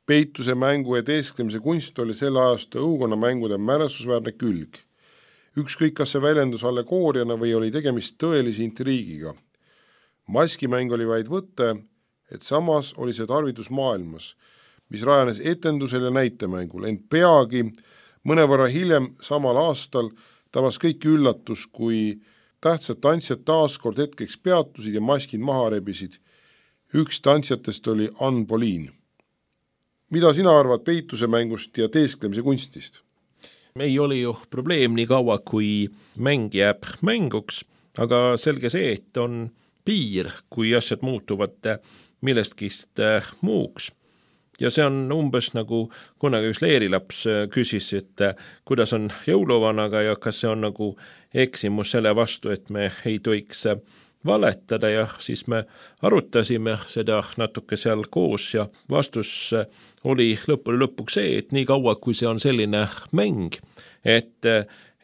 peituse mängu ja teesklemise kunst oli selle ajastu õukonna mängude mälestusväärne külg. Ükskõik, kas see väljendus allegooriana või oli tegemist tõelise intriigiga. Maskimäng oli vaid võte, et samas oli see tarvidus maailmas, mis rajanes etendusel ja näitemängul, ent peagi mõnevõrra hiljem samal aastal tabas kõik üllatus, kui tähtsad tantsijad taaskord hetkeks peatusid ja maskid maha rebisid. Üks tantsijatest oli Ann Poliin. Mida sina arvad peituse mängust ja teesklemise kunstist? Ei ole ju probleem nii kaua, kui mäng jääb mänguks, aga selge see, et on piir, kui asjad muutuvad millestkist muuks. Ja see on umbes nagu kunagi üks leerilaps küsis, et kuidas on jõuluvanaga ja kas see on nagu eksimus selle vastu, et me ei tohiks valetada ja siis me arutasime seda natuke seal koos ja vastus oli lõpuni lõpuks see, et nii kaua, kui see on selline mäng, et,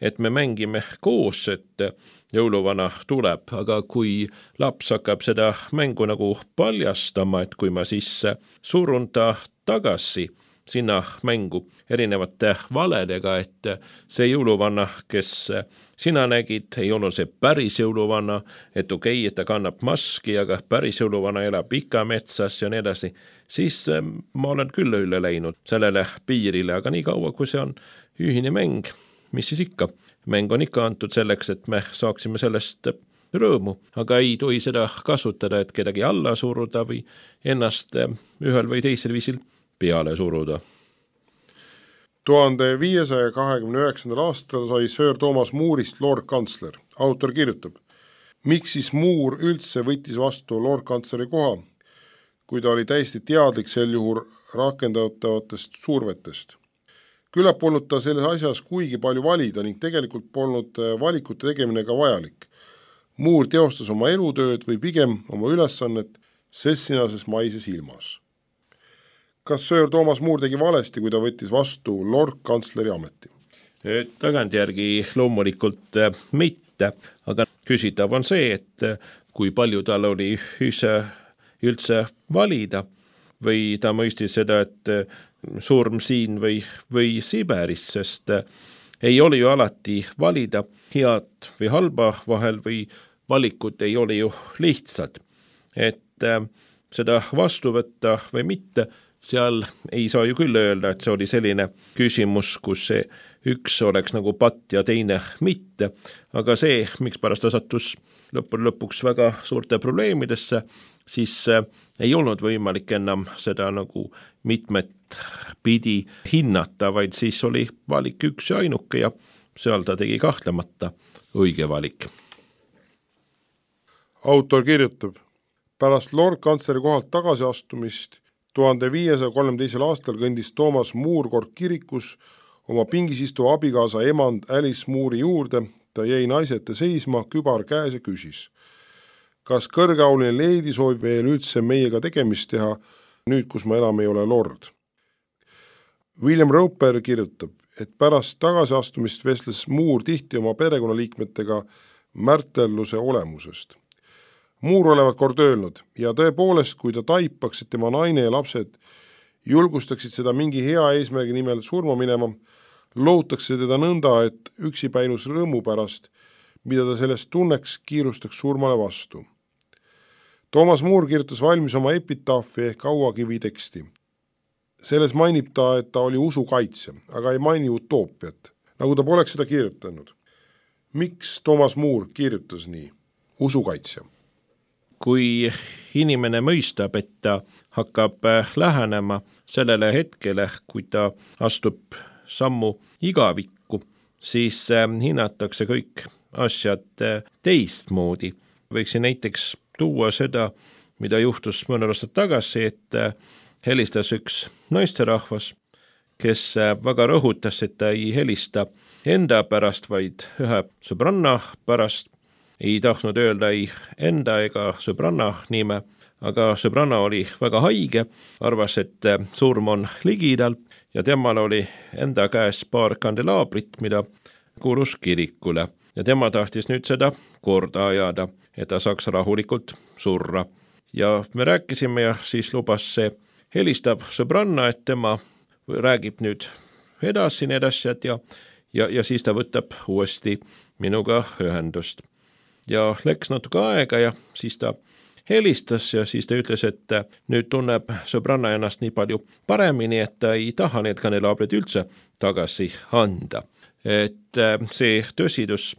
et me mängime koos, et jõuluvana tuleb, aga kui laps hakkab seda mängu nagu paljastama, et kui ma siis surun ta tagasi sinna mängu erinevate valedega, et see jõuluvanna, kes sina nägid, ei olnud see päris jõuluvanna, et okei, okay, et ta kannab maski, aga päris jõuluvanna elab ikka metsas ja nii edasi, siis ma olen küll üle läinud sellele piirile, aga nii kaua, kui see on ühine mäng, mis siis ikka? Mäng on ikka antud selleks, et me saaksime sellest rõõmu, aga ei tohi seda kasutada, et kedagi alla suruda või ennast ühel või teisel viisil peale suruda. tuhande viiesaja kahekümne üheksandal aastal sai Sir Thomas Moore'ist Lord Kantsler. Autor kirjutab, miks siis Moore üldse võttis vastu Lord Kantsleri koha, kui ta oli täiesti teadlik sel juhul rakendatavatest survetest. Küllap polnud ta selles asjas kuigi palju valida ning tegelikult polnud valikute tegemine ka vajalik. Moore teostas oma elutööd või pigem oma ülesannet sessinases maises ilmas. Kas Sir Thomas Moore tegi valesti, kui ta võttis vastu Lord Kantsleri ameti? Tagantjärgi loomulikult mitte, aga küsitav on see, et kui palju tal oli üldse, üldse valida või ta mõistis seda, et surm siin või, või Siberis, sest ei ole ju alati valida head või halba vahel või valikud ei ole ju lihtsad. Et äh, seda vastu võtta või mitte, seal ei saa ju küll öelda, et see oli selline küsimus, kus see üks oleks nagu patt ja teine mitte, aga see, miks pärast ta sattus lõppude lõpuks väga suurte probleemidesse, siis äh, ei olnud võimalik enam seda nagu mitmet pidi hinnata, vaid siis oli valik üks ja ainuke ja seal ta tegi kahtlemata õige valik. Autor kirjutab, pärast Lord kantsleri kohalt tagasiastumist tuhande viiesaja kolmteisel aastal kõndis Thomas Moore kord kirikus oma pingis istuva abikaasa emand Alice Moore'i juurde. Ta jäi naise ette seisma, kübar käes ja küsis, kas kõrgeauline leedi soovib veel üldse meiega tegemist teha, nüüd kus ma enam ei ole lord. William Roper kirjutab, et pärast tagasiastumist vestles Moore tihti oma perekonnaliikmetega märtelluse olemusest. Moore olevat kord öelnud ja tõepoolest, kui ta taipaks, et tema naine ja lapsed julgustaksid seda mingi hea eesmärgi nimel surma minema, lootakse teda nõnda, et üksipäinus rõõmu pärast, mida ta sellest tunneks, kiirustaks surmale vastu. Thomas Moore kirjutas valmis oma epitaafi ehk auakivi teksti. Selles mainib ta, et ta oli usukaitsja, aga ei maini utoopiat, nagu ta poleks seda kirjutanud. Miks Thomas Moore kirjutas nii? Usukaitsja. Kui inimene mõistab, et ta hakkab lähenema sellele hetkele, kui ta astub sammu igavikku, siis hinnatakse kõik asjad teistmoodi. Võiksin näiteks tuua seda, mida juhtus mõne aastat tagasi, et helistas üks naisterahvas, kes väga rõhutas, et ta ei helista enda pärast, vaid ühe sõbranna pärast. Ei tahtnud öelda ei enda ega sõbranna nime, aga sõbranna oli väga haige, arvas, et surm on ligidal ja temal oli enda käes paar kandelaabrit, mida kuulus kirikule ja tema tahtis nüüd seda korda ajada, et ta saaks rahulikult surra. Ja me rääkisime ja siis lubas see helistav sõbranna, et tema räägib nüüd edasi need asjad ja, ja, ja siis ta võtab uuesti minuga ühendust. Ja läks natuke aega ja siis ta helistas ja siis ta ütles, et nüüd tunneb sõbranna ennast nii palju paremini, et ta ei taha need kandelaabrid üldse tagasi anda. Et see tõsidus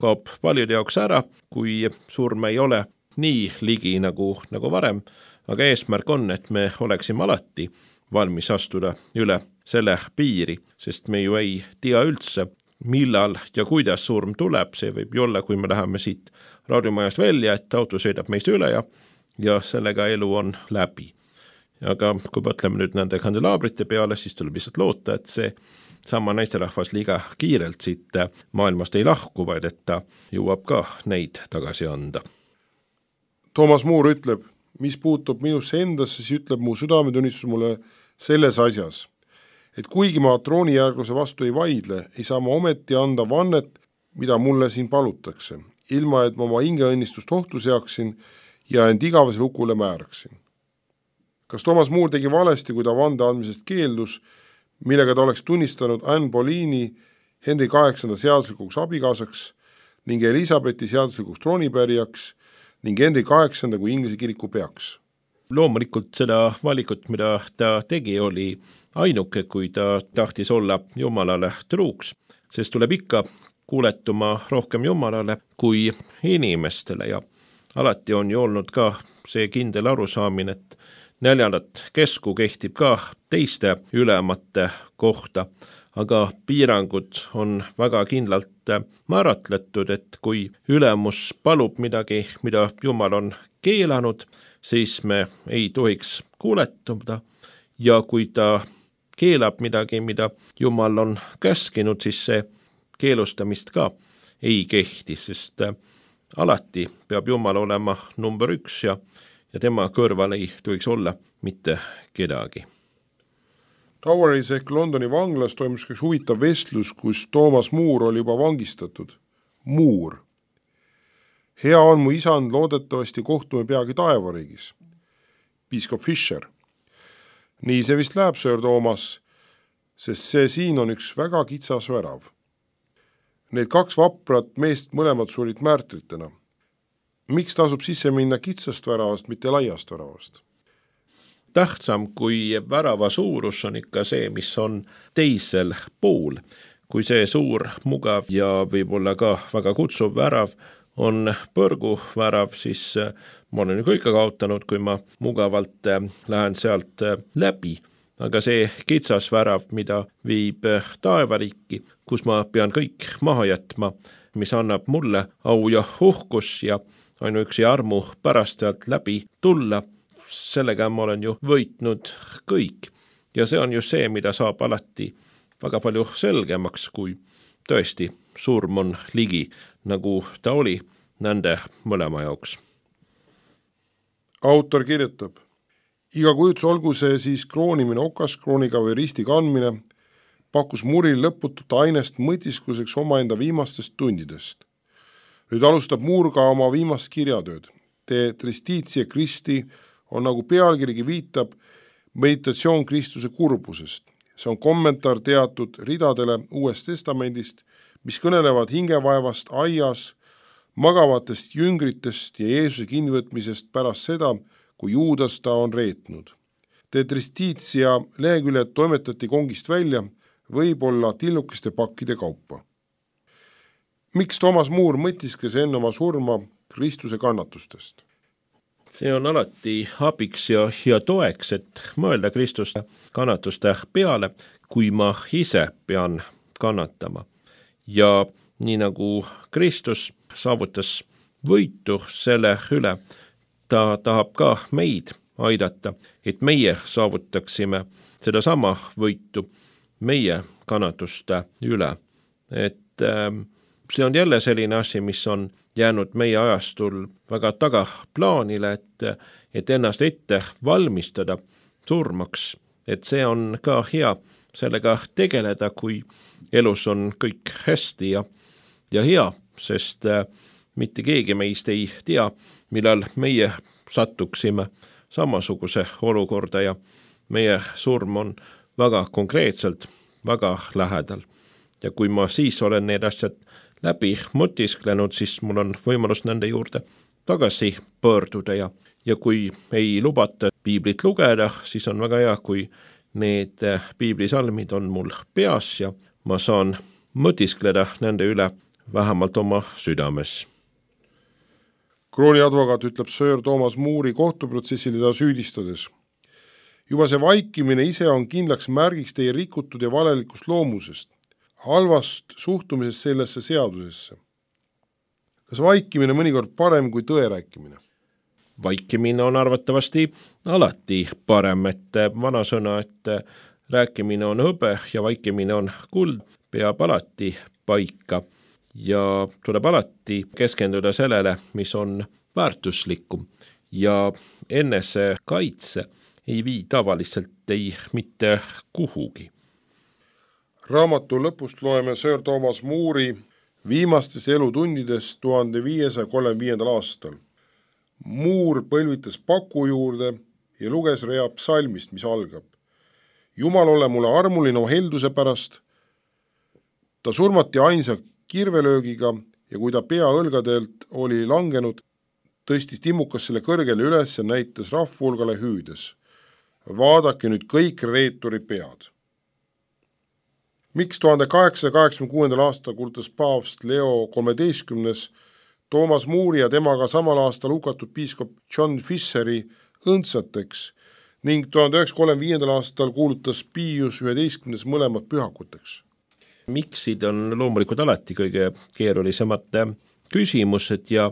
kaob paljude jaoks ära, kui surm ei ole nii ligi nagu, nagu varem, aga eesmärk on, et me oleksime alati valmis astuda üle selle piiri, sest me ju ei tea üldse, millal ja kuidas surm tuleb, see võib ju olla, kui me läheme siit raadiomajast välja, et auto sõidab meist üle ja, ja sellega elu on läbi. Aga kui mõtleme nüüd nende kandelaabrite peale, siis tuleb lihtsalt loota, et see sama naisterahvas liiga kiirelt siit maailmast ei lahku, vaid et ta jõuab ka neid tagasi anda. Thomas Moore ütleb, mis puutub minusse endasse, siis ütleb mu südametunnistus mulle selles asjas, et kuigi ma troonijärgluse vastu ei vaidle, ei saa ma ometi anda vannet, mida mulle siin palutakse, ilma et ma oma hingeõnnistust ohtu seaksin ja end igavese hukule määraksin. Kas Thomas Moore tegi valesti, kui ta vande andmisest keeldus, millega ta oleks tunnistanud Anne Boleyni Henry kaheksanda seaduslikuks abikaasaks ning Elisabethi seaduslikuks troonipärijaks ning Henry kaheksanda kui Inglise kiriku peaks? Loomulikult seda valikut, mida ta tegi, oli ainuke, kui ta tahtis olla Jumalale truuks, sest tuleb ikka kuuletuma rohkem Jumalale kui inimestele ja alati on ju olnud ka see kindel arusaamine, et neljandat kesku kehtib ka teiste ülemate kohta, aga piirangud on väga kindlalt määratletud, et kui ülemus palub midagi, mida Jumal on keelanud, siis me ei tohiks kuuletuda ja kui ta keelab midagi, mida Jumal on käskinud, siis see keelustamist ka ei kehti, sest alati peab Jumal olema number üks ja, ja tema kõrval ei tohiks olla mitte kedagi. Toweris ehk Londoni vanglas toimus üks huvitav vestlus, kus Thomas Moore oli juba vangistatud. Moore. Hea on mu isand, loodetavasti kohtume peagi taevariigis. Piiskop Fisher. Nii see vist läheb, Sir Thomas, sest see siin on üks väga kitsas värav. Need kaks vaprat meest mõlemad surid märtritena. Miks tasub sisse minna kitsast väravast, mitte laiast väravast? Tähtsam kui värava suurus on ikka see, mis on teisel pool. Kui see suur, mugav ja võib-olla ka väga kutsuv värav on põrgu värav, siis ma olen ju kõik kaotanud, kui ma mugavalt lähen sealt läbi. Aga see kitsas värav, mida viib taevariiki, kus ma pean kõik maha jätma, mis annab mulle au ja uhkus ja ainuüksi armu pärast sealt läbi tulla, sellega ma olen ju võitnud kõik. Ja see on ju see, mida saab alati väga palju selgemaks, kui tõesti surm on ligi, nagu ta oli nende mõlema jaoks. Autor kirjutab: iga kujutus, olgu see siis kroonimine okaskrooniga või risti kandmine, pakkus Muuril lõputut ainest mõtiskluseks omaenda viimastest tundidest. Nüüd alustab Muur ka oma viimast kirjatööd. De Tristitia Christi on, nagu pealkirigi viitab, meditatsioon Kristuse kurbusest. See on kommentaar teatud ridadele Uuest Testamendist, mis kõnelevad hingevaevast aias, magavatest jüngritest ja Jeesuse kinnivõtmisest pärast seda, kui Juudas ta on reetnud. De Tristitia leheküljed toimetati kongist välja, võib-olla tillukeste pakkide kaupa. Miks Toomas Muur mõtiskles enne oma surma Kristuse kannatustest? See on alati abiks ja, ja toeks, et mõelda Kristuse kannatuste peale, kui ma ise pean kannatama. Ja nii nagu Kristus saavutas võitu selle üle, ta tahab ka meid aidata, et meie saavutaksime sedasama võitu meie kannatuste üle. Et äh, see on jälle selline asi, mis on jäänud meie ajastul väga tagaplaanile, et, et ennast ette valmistada surmaks. Et see on ka hea sellega tegeleda, kui elus on kõik hästi ja, ja hea, sest äh, mitte keegi meist ei tea, millal meie sattuksime samasuguse olukorda ja meie surm on väga konkreetselt, väga lähedal. Ja kui ma siis olen need asjad läbi mõtisklenud, siis mul on võimalus nende juurde tagasi pöörduda ja, ja kui ei lubata piiblit lugeda, siis on väga hea, kui need piiblisalmid on mul peas ja ma saan mõtiskleda nende üle vähemalt oma südames. Krooniadvokaat ütleb Sir Thomas Moori kohtuprotsessil teda süüdistades: juba see vaikimine ise on kindlaks märgiks teie rikutud ja valelikust loomusest, halvast suhtumisest sellesse seadusesse. Kas vaikimine mõnikord parem kui tõe rääkimine? Vaikimine on arvatavasti alati parem, et vanasõna, et rääkimine on hõbe ja vaikimine on kuld, peab alati paika. Ja tuleb alati keskenduda sellele, mis on väärtuslikum ja enese kaitse ei vii tavaliselt ei mitte kuhugi. Raamatu lõpust loeme Sir Thomas Moori viimastest elutundidest tuhande viiesaja kolmekümne aastal. Moor põlvitas paku juurde ja luges rea psalmist, mis algab: Jumal, ole mulle armuline o helduse pärast. Ta surmati ainsa kirvelöögiga ja kui ta pea õlgadelt oli langenud, tõstis timmukas selle kõrgele üles ja näitas rahvahulgale hüüdes: vaadake nüüd kõik reeturi pead. Miks tuhande kaheksasaja kaheksakümne kuuendal aastal kuulutas paavst Leo kolmeteistkümnes Toomas Moori ja temaga samal aastal hukatud piiskop John Fisheri õndsateks ning tuhande üheksasaja kolmekümne viiendal aastal kuulutas Pius üheteistkümnes mõlemad pühakuteks? Miksid on loomulikult alati kõige keerulisemad küsimused ja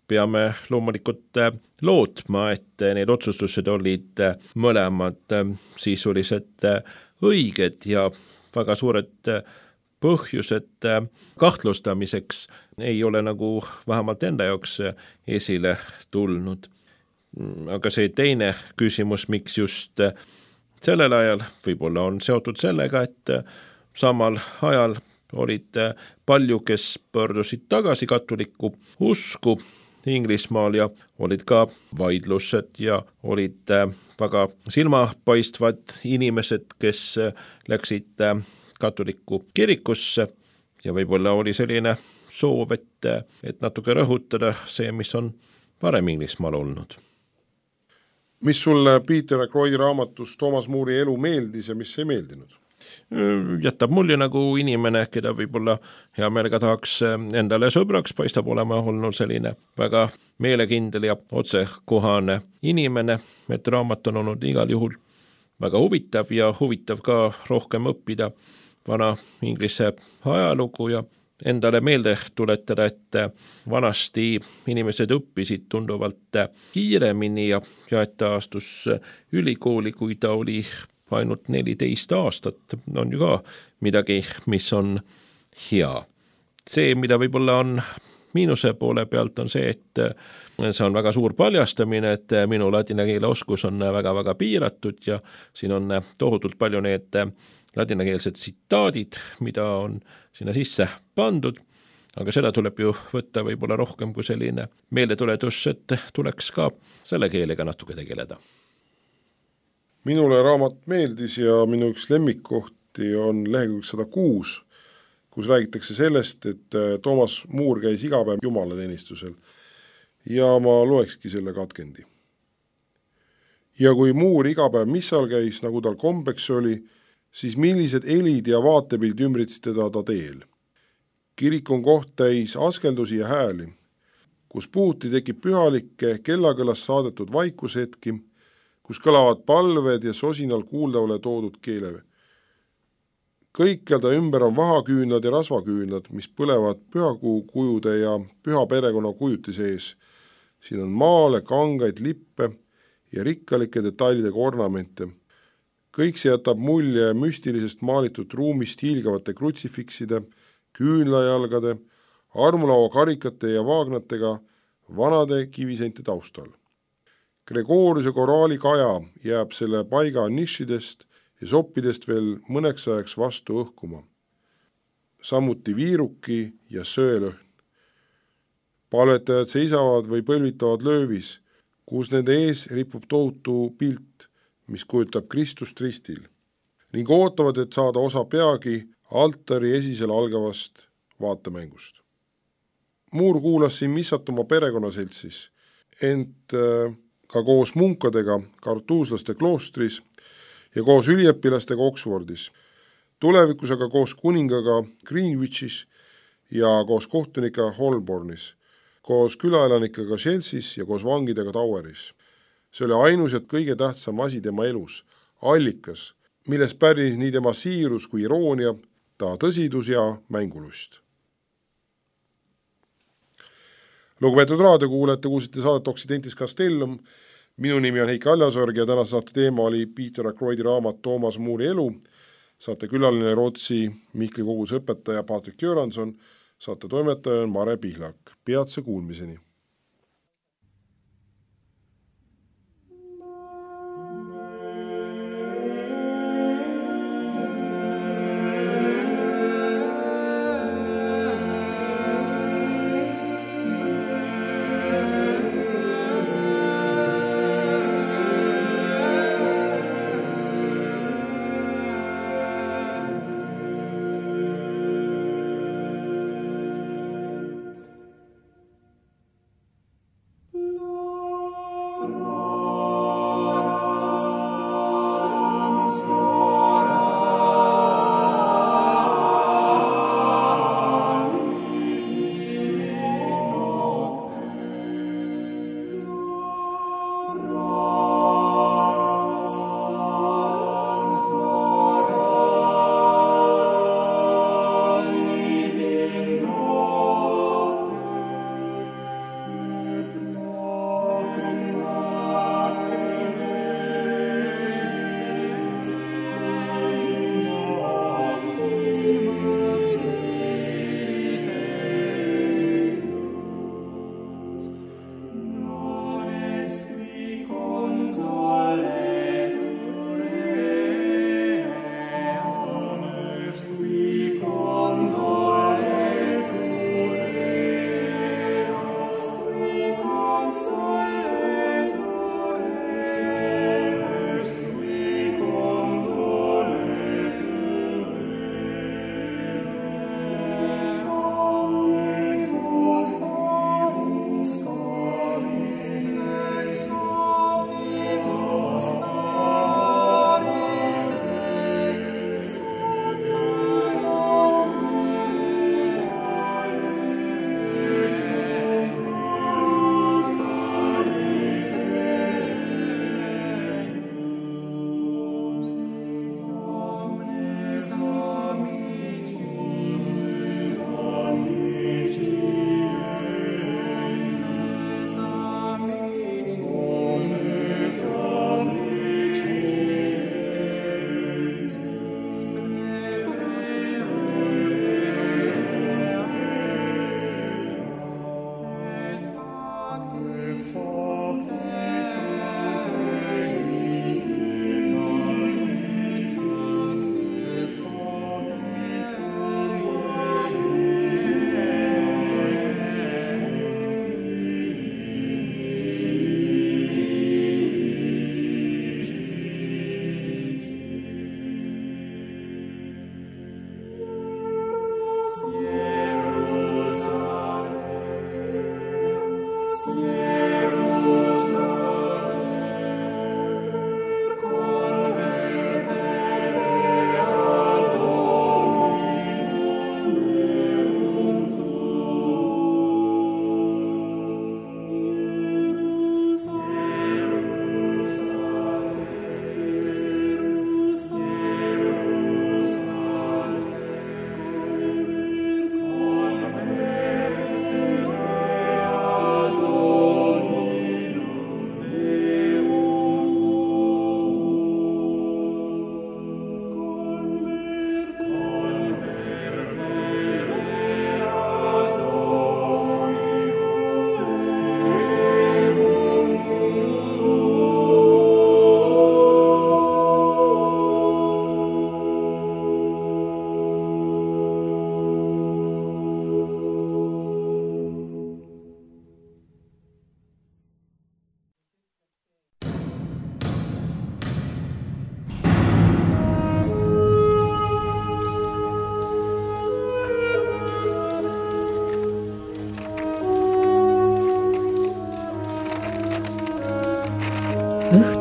peame loomulikult lootma, et need otsustused olid mõlemad sisuliselt õiged ja väga suured põhjused kahtlustamiseks ei ole nagu vähemalt enda jaoks esile tulnud. Aga see teine küsimus, miks just sellel ajal, võib-olla on seotud sellega, et samal ajal olid palju, kes pöördusid tagasi katolikku usku Inglismaal ja olid ka vaidlused ja olid väga silmapaistvad inimesed, kes läksid katolikku kirikusse ja võib-olla oli selline soov, et, et natuke rõhutada see, mis on varem Inglismaal olnud. Mis sulle Peter Ackroydi raamatus Thomas Moori elu meeldis ja mis ei meeldinud? Jätab mulje nagu inimene, keda võib-olla hea meelega tahaks endale sõbraks, paistab olema olnud selline väga meelekindel ja otsekohane inimene, et raamat on olnud igal juhul väga huvitav ja huvitav ka rohkem õppida vana Inglise ajalugu ja endale meelde tuletada, et vanasti inimesed õppisid tunduvalt kiiremini ja, ja et ta astus ülikooli, kui ta oli ainult neliteist aastat, on ju ka midagi, mis on hea. See, mida võib-olla on miinuse poole pealt, on see, et see on väga suur paljastamine, et minu ladina keele oskus on väga-väga piiratud ja siin on tohutult palju need ladinakeelsed tsitaadid, mida on sinna sisse pandud, aga seda tuleb ju võtta võib-olla rohkem kui selline meeldetuletus, et tuleks ka selle keelega natuke tegeleda. Minule raamat meeldis ja minu üks lemmikkohti on lehekülg sada kuus, kus räägitakse sellest, et Thomas Moore käis iga päev jumalateenistusel ja ma loekski selle katkendi. Ja kui Moore iga päev missal käis, nagu tal kombeks oli, siis millised helid ja vaatepild ümbritsid teda ta teel. Kirik on koht täis askeldusi ja hääli, kus puhuti tekib pühalikke kellakõlast saadetud vaikushetki, kus kõlavad palved ja sosinal kuuldavale toodud keele. Kõikjal ta ümber on vahaküünlad ja rasvaküünlad, mis põlevad pühakuu kujude ja püha perekonna kujuti sees. Siin on maale, kangaid, lippe ja rikkalike detailidega ornamente. Kõik see jätab mulje müstilisest maalitud ruumist hiilgavate krutsifikside, küünlajalgade, armulaua karikate ja vaagnatega vanade kiviseinte taustal. Gregoriuse koraali kaja jääb selle paiga nišidest ja soppidest veel mõneks ajaks vastu õhkuma. Samuti viiruki ja söelõhn. Palvetajad seisavad või põlvitavad löövis, kus nende ees ripub tohutu pilt, mis kujutab Kristust ristil, ning ootavad, et saada osa peagi altari esisel algavast vaatemängust. Moore kuulas siin missat oma perekonnaseltsis, ent ka koos munkadega kartuuslaste kloostris ja koos üliõpilastega Oxfordis, tulevikus aga koos kuningaga Greenwichis ja koos kohtunika Holbornis, koos külaelanikega Chelsea's ja koos vangidega Toweris. See oli ainus ja kõige tähtsam asi tema elus, allikas, milles pärnis nii tema siirus kui iroonia, ta tõsidus ja mängulust. Lugupeetud raadiokuulajad, kuulsite saadet Occidentis Castellum. Minu nimi on Heiki Aljasorg ja tänase saate teema oli Peter Ackroydi raamat Thomas Moori elu. Saate külaline Rootsi Mihkli koguduse õpetaja Patrik Göransson, saate toimetaja on Mare Pihlak. Peatse kuulmiseni.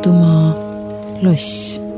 Õhtumaa loss.